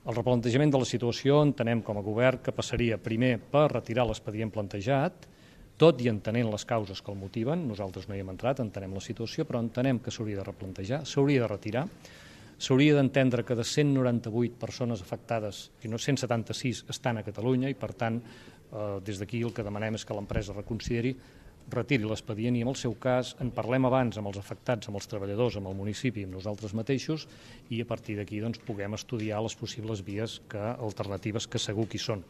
El replantejament de la situació entenem com a govern que passaria primer per retirar l'expedient plantejat, tot i entenent les causes que el motiven. Nosaltres no hi hem entrat, entenem la situació, però entenem que s'hauria de replantejar, s'hauria de retirar. S'hauria d'entendre que de 198 persones afectades, si no 176 estan a Catalunya i, per tant, des d'aquí el que demanem és que l'empresa reconsideri, retiri l'expedient i, en el seu cas, en parlem abans amb els afectats, amb els treballadors, amb el municipi, amb nosaltres mateixos, i a partir d'aquí puguem estudiar les possibles vies alternatives que segur que hi són.